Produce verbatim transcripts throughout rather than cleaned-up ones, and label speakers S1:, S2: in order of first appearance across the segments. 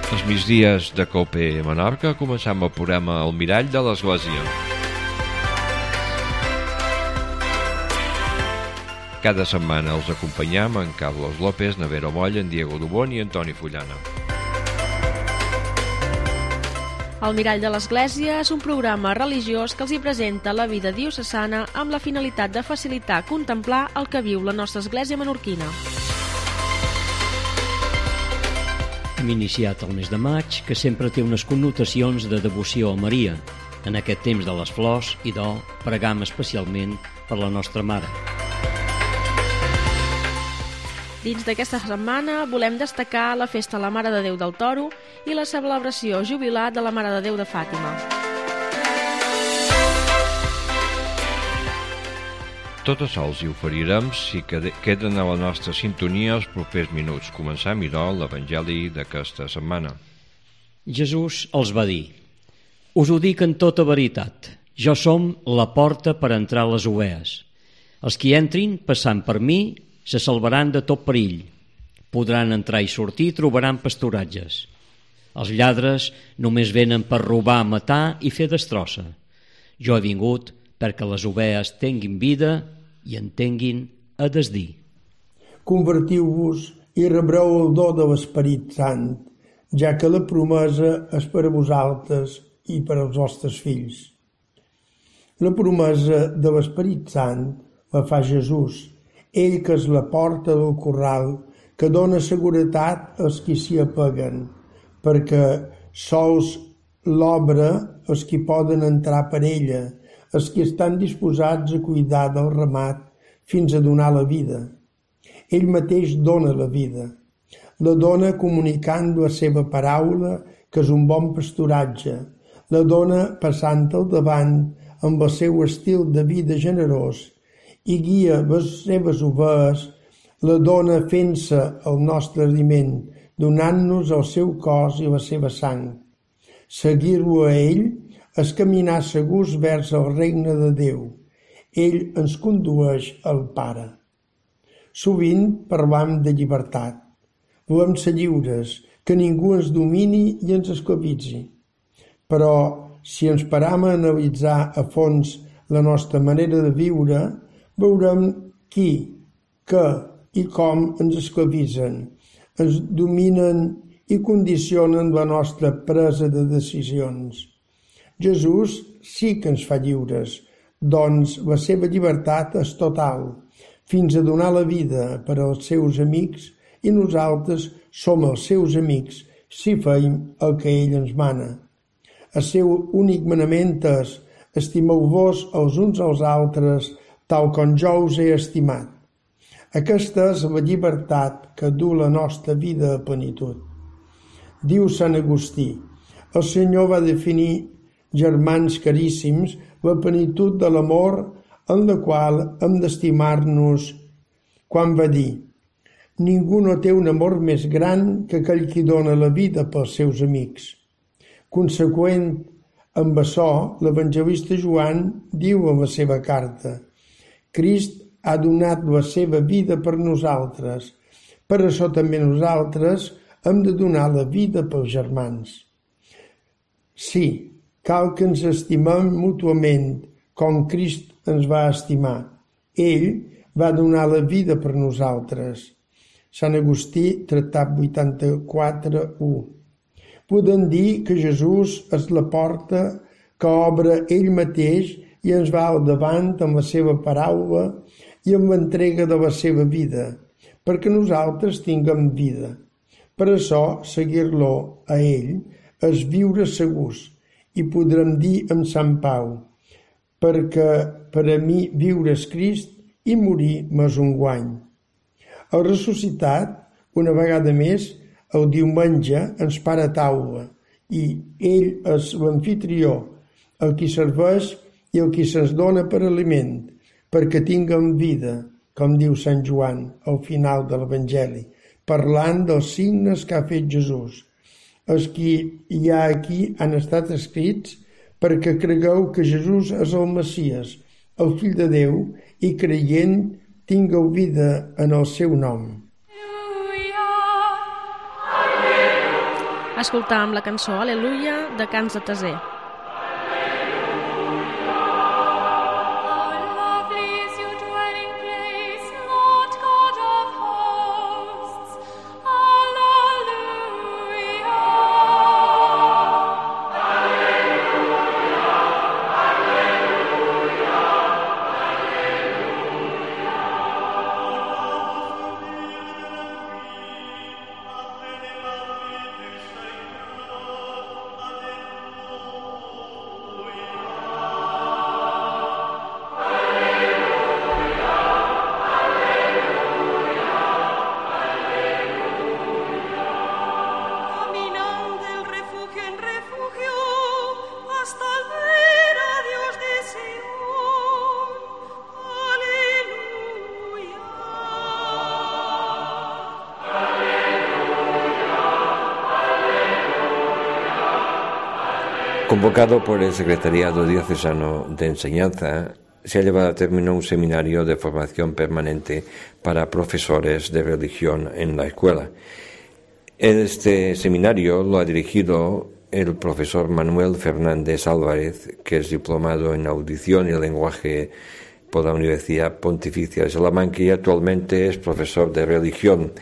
S1: Els migdies de Cope Menorca començam el programa El Mirall de l'Església. Cada setmana els acompanyam en Carlos López, Navero Moll, en Diego Dubón i Antoni Fullana.
S2: El Mirall de l'Església és un programa religiós que els hi presenta la vida diocesana amb la finalitat de facilitar contemplar el que viu la nostra església menorquina.
S3: Hem iniciat el mes de maig, que sempre té unes connotacions de devoció a Maria. En aquest temps de les flors i do, pregam especialment per la nostra mare.
S2: Dins d'aquesta setmana volem destacar la festa a la Mare de Déu del Toro i la celebració jubilar de la Mare de Déu de Fàtima.
S1: Tot això els hi oferirem si queden a la nostra sintonia els propers minuts. Començam, idò, l'Evangeli d'aquesta setmana.
S3: Jesús els va dir: «Us ho dic en tota veritat, jo som la porta per entrar a les ovees. Els qui entrin, passant per mi, se salvaran de tot perill. Podran entrar i sortir i trobaran pasturatges. Els lladres només venen per robar, matar i fer destrossa. Jo he vingut perquè les ovees tinguin vida i en tinguin a desdir».
S4: Convertiu-vos i rebreu el do de l'Esperit Sant, ja que la promesa és per a vosaltres i per als vostres fills. La promesa de l'Esperit Sant la fa Jesús, ell que és la porta del corral, que dona seguretat als qui s'hi apeguen, perquè sols l'obre els qui poden entrar per ella, els qui estan disposats a cuidar del ramat fins a donar la vida. Ell mateix dona la vida. La dona comunicant la seva paraula, que és un bon pasturatge. La dona passant al davant amb el seu estil de vida generós i guia les seves ovees, la dona fent-se el nostre aliment, donant-nos el seu cos i la seva sang. Seguir-lo a ell és caminar segurs vers el regne de Déu. Ell ens condueix al Pare. Sovint parlam de llibertat. Volem ser lliures, que ningú ens domini i ens esclavitzi. Però si ens param a analitzar a fons la nostra manera de viure, veurem qui, què i com ens esclavitzen, ens dominen i condicionen la nostra presa de decisions. Jesús sí que ens fa lliures, doncs la seva llibertat és total, fins a donar la vida per als seus amics, i nosaltres som els seus amics si feim el que ell ens mana. El seu únic manament és: estimeu-vos els uns als altres tal com jo us he estimat. Aquesta és la llibertat que du la nostra vida a plenitud. Diu Sant Agustí: el Senyor va definir, germans caríssims, la plenitud de l'amor en la qual hem d'estimar-nos, quan va dir: ningú no té un amor més gran que aquell qui dona la vida pels seus amics. Conseqüent amb açò, l'evangelista Joan diu en la seva carta: Crist ha donat la seva vida per nosaltres. Per això també nosaltres hem de donar la vida pels germans. Sí, cal que ens estimem mútuament, com Crist ens va estimar. Ell va donar la vida per nosaltres. Sant Agustí, Tractat vuitanta-quatre u. Podem dir que Jesús és la porta que obre ell mateix i ens va al davant amb la seva paraula i amb l'entrega de la seva vida, perquè nosaltres tinguem vida. Per això, seguir-lo a ell és viure segurs, i podrem dir amb Sant Pau: perquè per a mi viure és Crist i morir m'és un guany. El ressuscitat, una vegada més, el diumenge ens para a taula, i ell és l'amfitrió, el qui serveix i el qui se'ns dona per aliment, perquè tinguem vida, com diu Sant Joan al final de l'Evangeli, parlant dels signes que ha fet Jesús. Els qui hi ha aquí han estat escrits perquè cregueu que Jesús és el Messies, el Fill de Déu, i creient tingueu vida en el seu nom.
S2: Escoltàvem la cançó Aleluia de Cants de Taser.
S1: Convocado por el Secretariado Diocesano de Enseñanza, se ha llevado a término un seminario de formación permanente para profesores de religión en la escuela. Este seminario lo ha dirigido el profesor Manuel Fernández Álvarez, que es diplomado en audición y lenguaje por la Universidad Pontificia de Salamanca y actualmente es profesor de religión.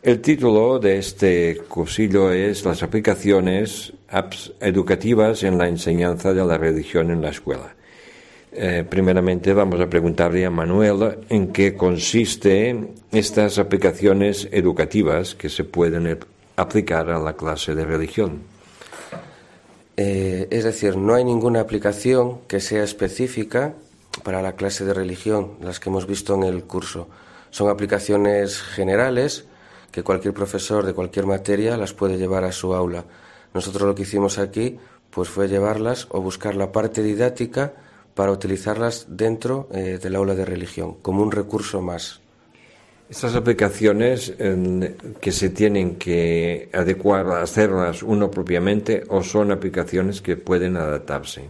S1: El título de este cursillo es Las aplicaciones apps educativas en la enseñanza de la religión en la escuela. Eh, primeramente vamos a preguntarle a Manuel en qué consiste estas aplicaciones educativas que se pueden aplicar a la clase de religión.
S5: Eh, es decir, no hay ninguna aplicación que sea específica para la clase de religión, las que hemos visto en el curso. Son aplicaciones generales que cualquier profesor de cualquier materia las puede llevar a su aula. Nosotros lo que hicimos aquí pues fue llevarlas o buscar la parte didáctica para utilizarlas dentro eh, del aula de religión, como un recurso más.
S1: Estas aplicaciones eh, que se tienen que adecuar a hacerlas uno propiamente o son aplicaciones que pueden adaptarse.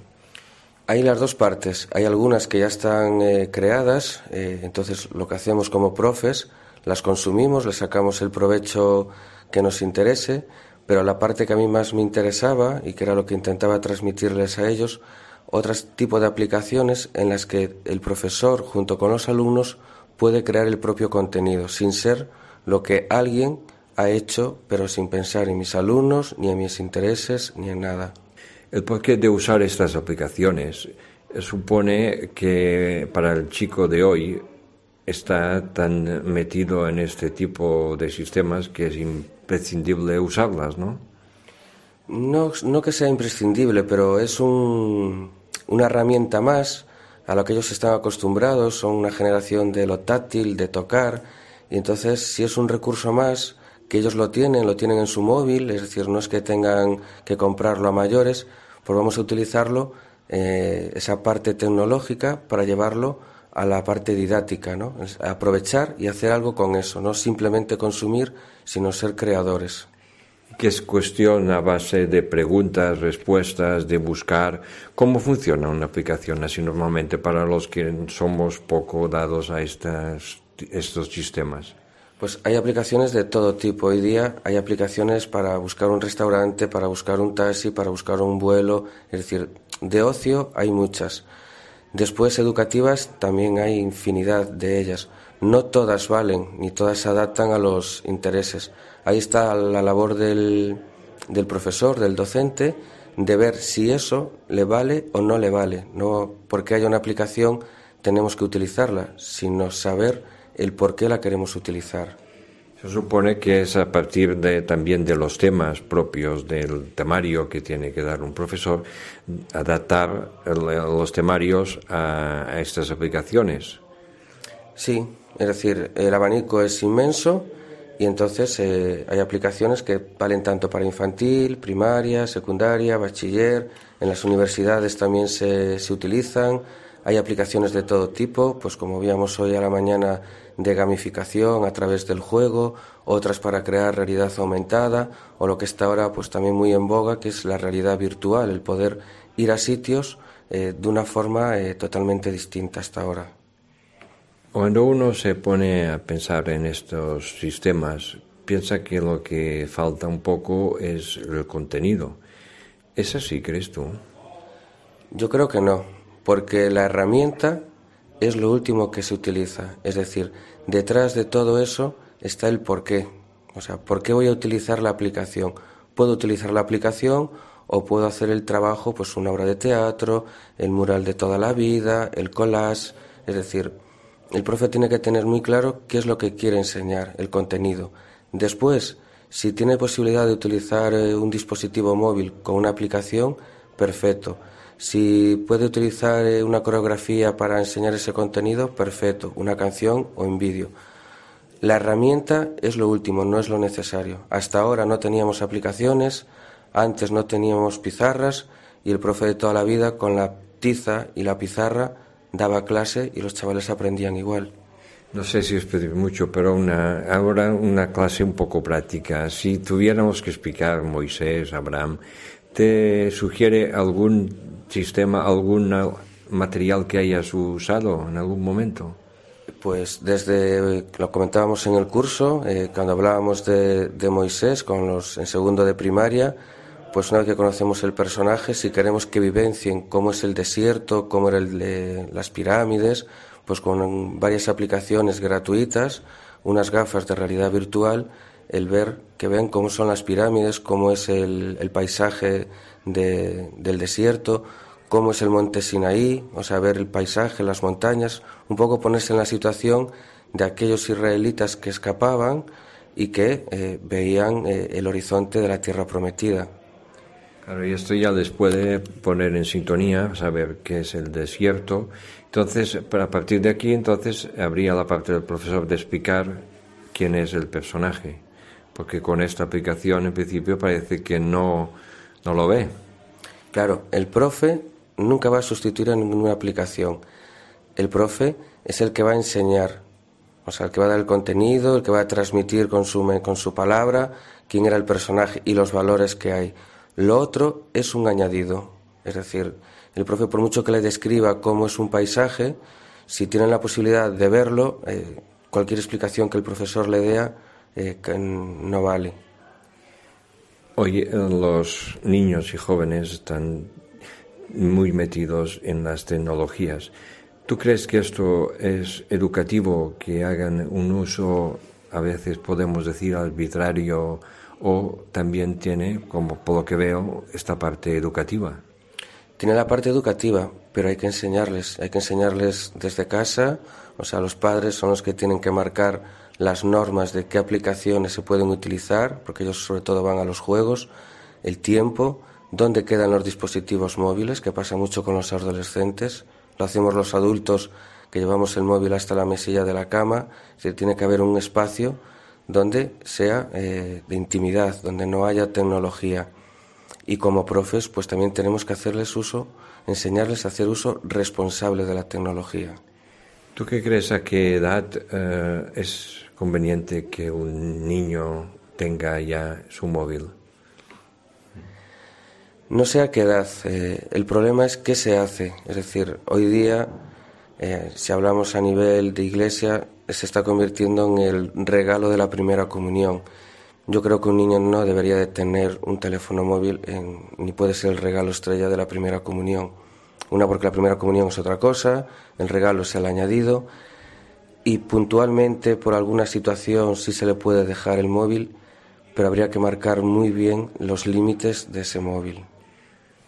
S5: Hay las dos partes. Hay algunas que ya están eh, creadas, eh, entonces lo que hacemos como profes, las consumimos, les sacamos el provecho que nos interese, pero la parte que a mí más me interesaba y que era lo que intentaba transmitirles a ellos, otro tipo de aplicaciones en las que el profesor junto con los alumnos puede crear el propio contenido, sin ser lo que alguien ha hecho, pero sin pensar en mis alumnos, ni en mis intereses, ni en nada.
S1: El porqué de usar estas aplicaciones supone que para el chico de hoy está tan metido en este tipo de sistemas que es imprescindible usarlas, ¿no?
S5: No, no que sea imprescindible, pero es un, una herramienta más a la que ellos están acostumbrados. Son una generación de lo táctil, de tocar, y entonces si es un recurso más que ellos lo tienen, lo tienen en su móvil, es decir, no es que tengan que comprarlo a mayores, pues vamos a utilizarlo, eh, esa parte tecnológica, para llevarlo a la parte didáctica, ¿no? Es aprovechar y hacer algo con eso, no simplemente consumir, sino ser creadores.
S1: Que es cuestión a base de preguntas, respuestas, de buscar. ¿Cómo funciona una aplicación así normalmente para los que somos poco dados a estas, estos sistemas?
S5: Pues hay aplicaciones de todo tipo. Hoy día hay aplicaciones para buscar un restaurante, para buscar un taxi, para buscar un vuelo. Es decir, de ocio hay muchas. Después, educativas, también hay infinidad de ellas. No todas valen, ni todas se adaptan a los intereses. Ahí está la labor del, del profesor, del docente, de ver si eso le vale o no le vale. No porque haya una aplicación tenemos que utilizarla, sino saber el por qué la queremos utilizar.
S1: Se supone que es a partir de, también de los temas propios del temario que tiene que dar un profesor, adaptar el, los temarios a, a estas aplicaciones.
S5: Sí, es decir, el abanico es inmenso y entonces eh, hay aplicaciones que valen tanto para infantil, primaria, secundaria, bachiller. En las universidades también se, se utilizan. Hay aplicaciones de todo tipo, pues como veíamos hoy a la mañana, de gamificación a través del juego, otras para crear realidad aumentada, o lo que está ahora pues también muy en boga, que es la realidad virtual, el poder ir a sitios eh, de una forma eh, totalmente distinta hasta ahora.
S1: Cuando uno se pone a pensar en estos sistemas, piensa que lo que falta un poco es el contenido. ¿Es así, crees tú?
S5: Yo creo que no, porque la herramienta es lo último que se utiliza. Es decir, detrás de todo eso está el porqué. O sea, ¿por qué voy a utilizar la aplicación? Puedo utilizar la aplicación o puedo hacer el trabajo, pues una obra de teatro, el mural de toda la vida, el collage. Es decir, el profe tiene que tener muy claro qué es lo que quiere enseñar, el contenido. Después, si tiene posibilidad de utilizar eh, un dispositivo móvil con una aplicación, perfecto. Si puede utilizar eh, una coreografía para enseñar ese contenido, perfecto. Una canción o en vídeo. La herramienta es lo último, no es lo necesario. Hasta ahora no teníamos aplicaciones, antes no teníamos pizarras y el profe de toda la vida con la tiza y la pizarra daba clase y los chavales aprendían igual.
S1: No sé si os pedí mucho, pero una, ahora una clase un poco práctica. Si tuviéramos que explicar Moisés, Abraham, ¿te sugiere algún sistema, algún material que hayas usado en algún momento?
S5: Pues desde, lo comentábamos en el curso, eh, cuando hablábamos de, de Moisés con los en segundo de primaria, pues una vez que conocemos el personaje, si queremos que vivencien cómo es el desierto, cómo eran las pirámides, pues con varias aplicaciones gratuitas, unas gafas de realidad virtual, el ver que ven cómo son las pirámides, cómo es el, el paisaje de, del desierto, cómo es el monte Sinaí, o sea, ver el paisaje, las montañas, un poco ponerse en la situación de aquellos israelitas que escapaban y que eh, veían eh, el horizonte de la tierra prometida.
S1: Claro, y esto ya les puede poner en sintonía, saber qué es el desierto. Entonces, a partir de aquí, entonces, habría la parte del profesor de explicar quién es el personaje, porque con esta aplicación, en principio, parece que no, no lo ve.
S5: Claro, el profe nunca va a sustituir a ninguna aplicación. El profe es el que va a enseñar, o sea, el que va a dar el contenido, el que va a transmitir con su, con su palabra quién era el personaje y los valores que hay. Lo otro es un añadido, es decir, el profe, por mucho que le describa cómo es un paisaje, si tienen la posibilidad de verlo, eh, cualquier explicación que el profesor le dé eh, no vale.
S1: Hoy los niños y jóvenes están muy metidos en las tecnologías. ¿Tú crees que esto es educativo, que hagan un uso, a veces podemos decir, arbitrario, o también tiene, como por lo que veo, esta parte educativa?
S5: Tiene la parte educativa, pero hay que enseñarles, hay que enseñarles desde casa, o sea, los padres son los que tienen que marcar las normas de qué aplicaciones se pueden utilizar, porque ellos sobre todo van a los juegos, el tiempo, dónde quedan los dispositivos móviles, que pasa mucho con los adolescentes, lo hacemos los adultos que llevamos el móvil hasta la mesilla de la cama, es decir, tiene que haber un espacio donde sea eh, de intimidad, donde no haya tecnología. Y como profes, pues también tenemos que hacerles uso, enseñarles a hacer uso responsable de la tecnología.
S1: ¿Tú qué crees, a qué edad eh, es conveniente que un niño tenga ya su móvil?
S5: No sé a qué edad. Eh, el problema es qué se hace. Es decir, hoy día, eh, si hablamos a nivel de iglesia, se está convirtiendo en el regalo de la primera comunión. Yo creo que un niño no debería de tener un teléfono móvil, en, ni puede ser el regalo estrella de la primera comunión. Una, porque la primera comunión es otra cosa, el regalo es el añadido, y puntualmente por alguna situación sí se le puede dejar el móvil, pero habría que marcar muy bien los límites de ese móvil.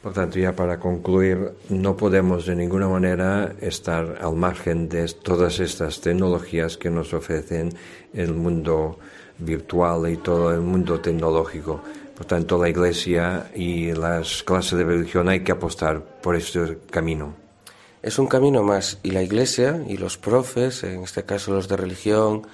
S1: Por tanto, ya para concluir, no podemos de ninguna manera estar al margen de todas estas tecnologías que nos ofrecen el mundo virtual y todo el mundo tecnológico. Por tanto, la Iglesia y las clases de religión hay que apostar por este camino.
S5: Es un camino más, y la Iglesia y los profes, en este caso los de religión,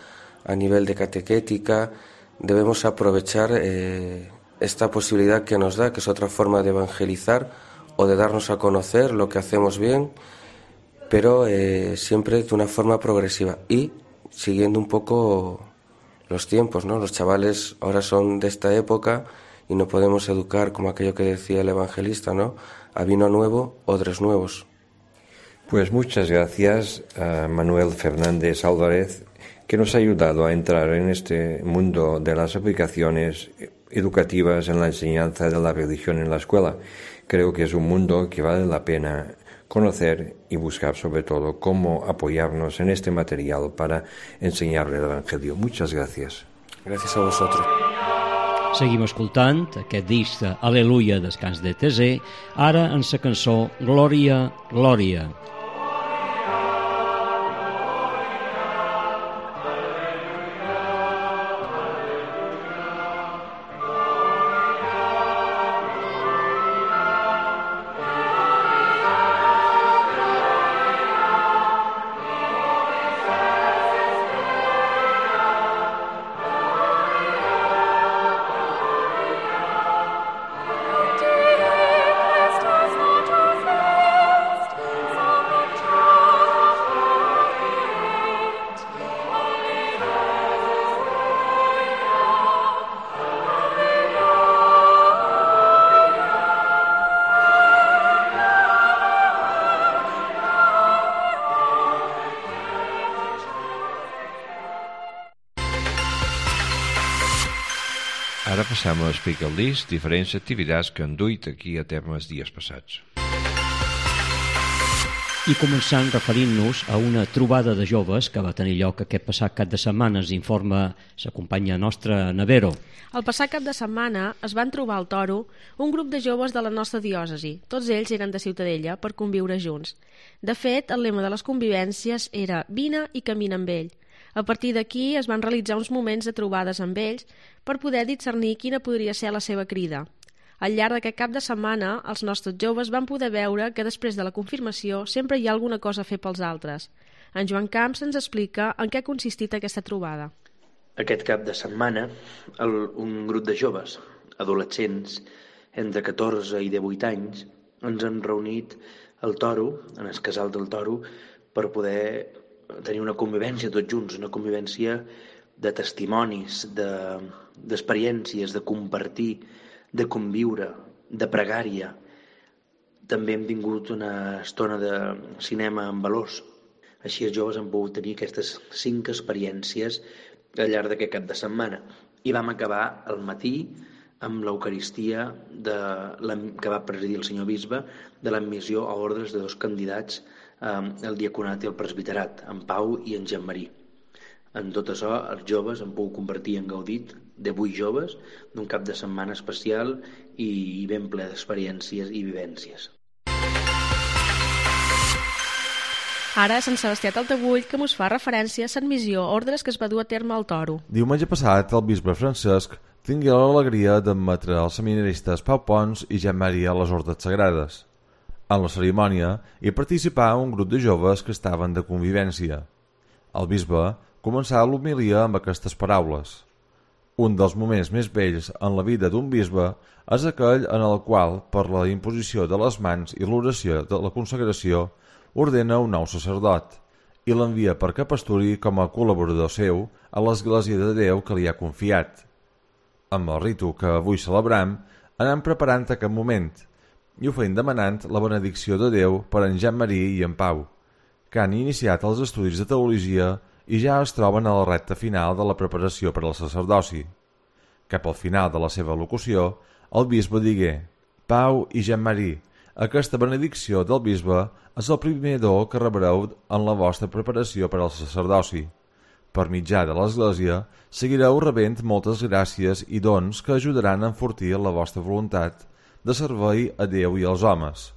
S5: a nivel de catequética, debemos aprovechar eh, esta posibilidad que nos da, que es otra forma de evangelizar o de darnos a conocer lo que hacemos bien, pero eh, siempre de una forma progresiva y siguiendo un poco los tiempos, ¿no? Los chavales ahora son de esta época y no podemos educar, como aquello que decía el evangelista, ¿no? A vino nuevo, odres nuevos.
S1: Pues muchas gracias a Manuel Fernández Álvarez, que nos ha ayudado a entrar en este mundo de las aplicaciones educativas en la enseñanza de la religión en la escuela. Creo que es un mundo que vale la pena conocer y buscar, sobre todo, cómo apoyarnos en este material para enseñar el Evangelio. Muchas gracias.
S5: Gracias a vosotros.
S3: Seguim escoltant aquest disc de Aleluia, Descans de Tesé, ara en la cançó Glòria, Glòria.
S1: Ara passem a explicar el disc diferents activitats que han duit aquí a terme els dies passats.
S3: I començant referint-nos a una trobada de joves que va tenir lloc aquest passat cap de setmana, ens informa la companya nostra Navero.
S2: El passat cap de setmana es van trobar al Toro un grup de joves de la nostra diòcesi. Tots ells eren de Ciutadella per conviure junts. De fet, el lema de les convivències era «Vine i camina amb ell». A partir d'aquí es van realitzar uns moments de trobades amb ells per poder discernir quina podria ser la seva crida. Al llarg d'aquest cap de setmana, els nostres joves van poder veure que després de la confirmació sempre hi ha alguna cosa a fer pels altres. En Joan Camps ens explica en què ha consistit aquesta trobada.
S6: Aquest cap de setmana, el, un grup de joves, adolescents, entre catorze i divuit anys, ens han reunit al Toro, en el casal del Toro, per poder tenir una convivència tots junts, una convivència de testimonis, de, d'experiències, de compartir, de conviure, de pregària. També hem tingut una estona de cinema amb valors. Així els joves han pogut tenir aquestes cinc experiències al llarg d'aquest cap de setmana. I vam acabar al matí amb l'Eucaristia de, que va presidir el senyor bisbe de l'admissió a ordres de dos candidats, el diaconat i el presbiterat, en Pau i en Jean-Marie. En tot això, els joves han pogut convertir en gaudit de vuit joves d'un cap de setmana especial i ben ple d'experiències i vivències.
S2: Ara, Sant Sebastià Taltabull, que mos fa referència a l'admissió a ordres que es va dur a terme al Toro.
S7: Diumenge passat, el bisbe Francesc tingué l'alegria d'admetre els seminaristes Pau Pons i Jean-Marie a les ordres sagrades. En la cerimònia hi participà un grup de joves que estaven de convivència. El bisbe començà l'homilia amb aquestes paraules. Un dels moments més bells en la vida d'un bisbe és aquell en el qual, per la imposició de les mans i l'oració de la consagració, ordena un nou sacerdot i l'envia perquè pasturi com a col·laborador seu a l'Església de Déu que li ha confiat. Amb el ritu que avui celebrem, anem preparant aquest moment i ho feim demanant la benedicció de Déu per en Jean-Marie i en Pau, que han iniciat els estudis de teologia i ja es troben a la recta final de la preparació per al sacerdoci. Cap al final de la seva locució, el bisbe digué: Pau i Jean-Marie, aquesta benedicció del bisbe és el primer do que rebreu en la vostra preparació per al sacerdoci. Per mitjà de l'Església, seguireu rebent moltes gràcies i dons que ajudaran a enfortir la vostra voluntat de servei a Déu i als homes.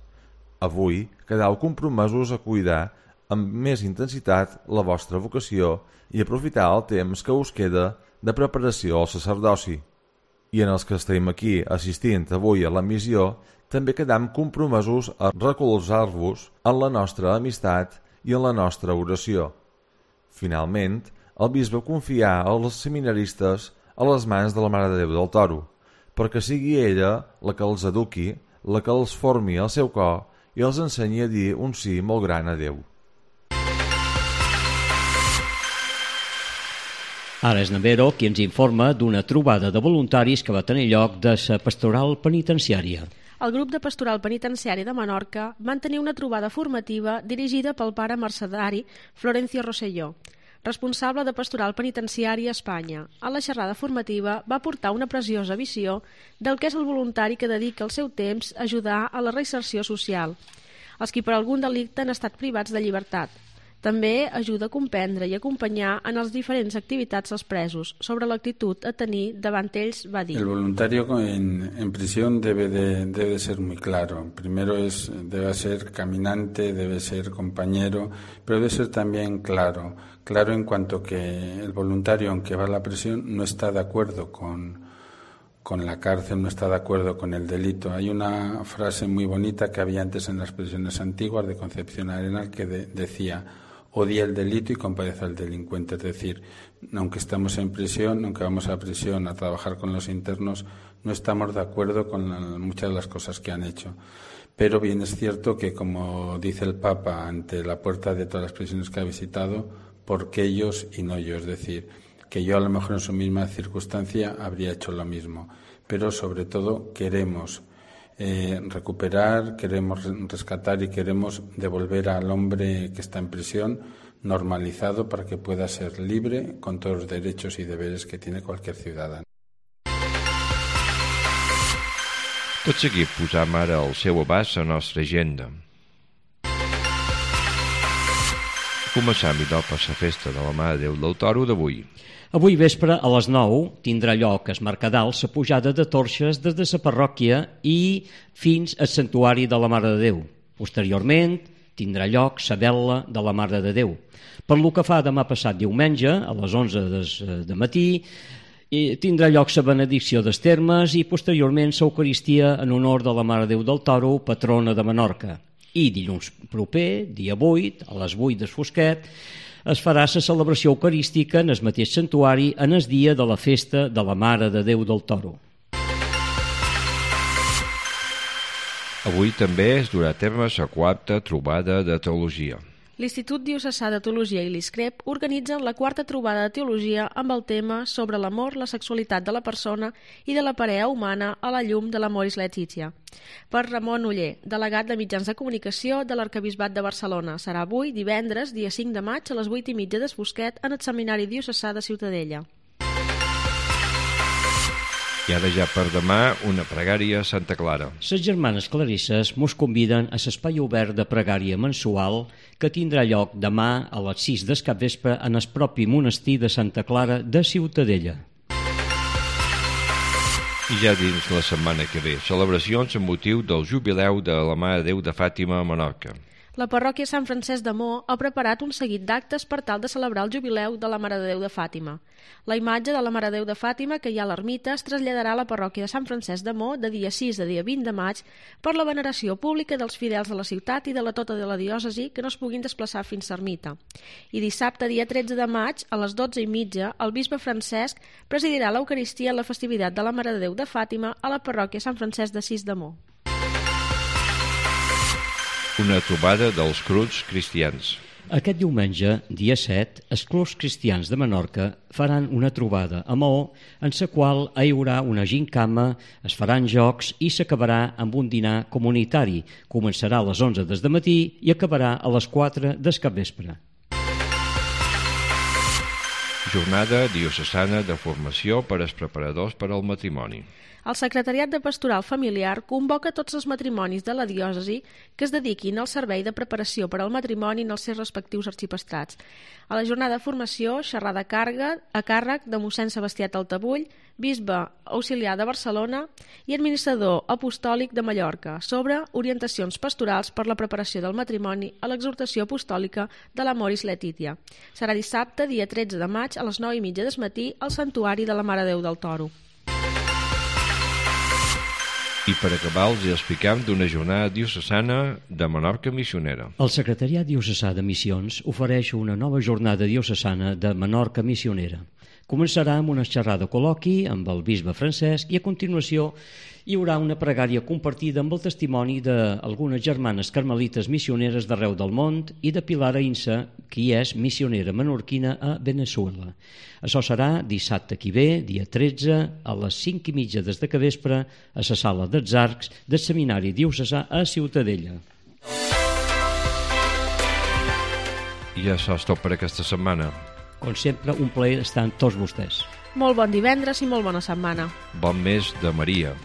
S7: Avui quedeu compromesos a cuidar amb més intensitat la vostra vocació i aprofitar el temps que us queda de preparació al sacerdoci. I en els que estem aquí assistint avui a la missió, també quedam compromesos a recolzar-vos en la nostra amistat i en la nostra oració. Finalment, el bisbe confià als seminaristes a les mans de la Mare de Déu del Toro, perquè sigui ella la que els eduqui, la que els formi al seu cor i els ensenyi a dir un sí molt gran a Déu.
S3: Ara és Navero qui ens informa d'una trobada de voluntaris que va tenir lloc de la pastoral penitenciària.
S2: el grup de Pastoral Penitenciari de Menorca van tenir una trobada formativa dirigida pel pare mercedari Florencio Rosselló, responsable de Pastoral Penitenciari a Espanya. A la xerrada formativa va portar una preciosa visió del que és el voluntari que dedica el seu temps a ajudar a la reinserció social, els qui per algun delicte han estat privats de llibertat. També ajuda a comprendre i acompanyar en les diferents activitats dels presos. Sobre l'actitud a tenir davant ells va dir:
S8: El voluntario en, en prisión debe de, debe de ser muy claro. Primero es, debe ser caminante, debe ser compañero, pero debe ser también claro. Claro en cuanto que el voluntario, aunque va a la prisión, no está de acuerdo con, con la cárcel, no está de acuerdo con el delito. Hay una frase muy bonita que había antes en las prisiones antiguas de Concepción Arenal que de, decía: odia el delito y compadece al delincuente. Es decir, aunque estamos en prisión, aunque vamos a prisión a trabajar con los internos, no estamos de acuerdo con la, muchas de las cosas que han hecho. Pero bien es cierto que, como dice el Papa ante la puerta de todas las prisiones que ha visitado, ¿por qué ellos y no yo? Es decir, que yo a lo mejor en su misma circunstancia habría hecho lo mismo. Pero sobre todo queremos Eh, recuperar, queremos rescatar y queremos devolver al hombre que está en prisión normalizado para que pueda ser libre con todos los derechos y deberes que tiene cualquier ciudadano.
S1: Tot seguit posam ara al seu abast a la nostra agenda. Començam i dopa la festa de la Mare de Déu del Toro d'avui.
S3: Avui vespre a les nou tindrà lloc es Mercadal la pujada de torxes des de la parròquia i fins al santuari de la Mare de Déu. Posteriorment tindrà lloc la vetla de la Mare de Déu. Per lo que fa demà passat diumenge, a les onze de matí, tindrà lloc la benedicció dels termes i posteriorment l'Eucaristia en honor de la Mare de Déu del Toro, patrona de Menorca. I dilluns proper, dia vuit, a les vuit del fosquet, es farà la celebració eucarística en el mateix santuari en el dia de la festa de la Mare de Déu del Toro.
S1: Avui també es durà a terme la quarta trobada de teologia.
S2: L'Institut Diocesà de Teologia i l'ISCREP organitzen la quarta trobada de teologia amb el tema sobre l'amor, la sexualitat de la persona i de la parella humana a la llum de l'Amoris Laetitia. Per Ramon Oller, delegat de mitjans de comunicació de l'Arquebisbat de Barcelona. Serà avui, divendres, dia cinc de maig, a les vuit i mitja del Fosquet, en el Seminari Diocesà de Ciutadella.
S1: I ara ja per demà, una pregària a Santa Clara.
S3: Les germanes clarisses mos conviden a l'espai obert de pregària mensual que tindrà lloc demà a les sis del capvespre en el propi monestir de Santa Clara de Ciutadella.
S1: I ja dins la setmana que ve, celebracions amb motiu del jubileu de la Mare de Déu de Fàtima a Menorca.
S2: La parròquia Sant Francesc de Mo ha preparat un seguit d'actes per tal de celebrar el jubileu de la Mare de Déu de Fàtima. La imatge de la Mare de Déu de Fàtima que hi ha a l'ermita es traslladarà a la parròquia de Sant Francesc de Mo de dia sis a dia vint de maig per la veneració pública dels fidels de la ciutat i de la tota de la diòcesi que no es puguin desplaçar fins a l'ermita. I dissabte, dia tretze de maig, a les dotze i mitja, el bisbe Francesc presidirà l'Eucaristia en la festivitat de la Mare de Déu de Fàtima a la parròquia Sant Francesc de Sis de Mo.
S1: Una trobada dels clubs cristians.
S3: Aquest diumenge, dia set, els clubs cristians de Menorca faran una trobada a Maó en la qual hi haurà una gincama, es faran jocs i s'acabarà amb un dinar comunitari. Començarà a les onze del matí i acabarà a les quatre del capvespre.
S1: Jornada diocesana de formació per als preparadors per al matrimoni.
S2: El Secretariat de Pastoral Familiar convoca tots els matrimonis de la diòcesi que es dediquin al servei de preparació per al matrimoni en els seus respectius arxiprestrats. A la jornada de formació, xerrada càrrega a càrrec de mossèn Sebastià Taltabull, bisbe auxiliar de Barcelona i administrador apostòlic de Mallorca, sobre orientacions pastorals per la preparació del matrimoni a l'exhortació apostòlica de l'Amoris Laetitia. Serà dissabte, dia tretze de maig, a les nou i mitja del matí, al Santuari de la Mare de Déu del Toro.
S1: I per acabar els explicam d'una jornada diocesana de Menorca missionera.
S3: El Secretariat Diocesà de Missions ofereix una nova jornada diocesana de Menorca missionera, Començarà amb una xerrada col·loqui amb el bisbe Francesc i a continuació hi haurà una pregària compartida amb el testimoni d'algunes germanes carmelites missioneres d'arreu del món i de Pilar Ainsa, qui és missionera menorquina a Veneçuela. Això serà dissabte que ve, dia tretze, a les cinc i mitja des de capvespre, a la sala dels Arcs del Seminari Diocesà a Ciutadella.
S1: I això és tot per aquesta setmana.
S3: Com sempre, un plaer estar amb tots vostès.
S2: Molt bon divendres i molt bona setmana.
S1: Bon mes de Maria.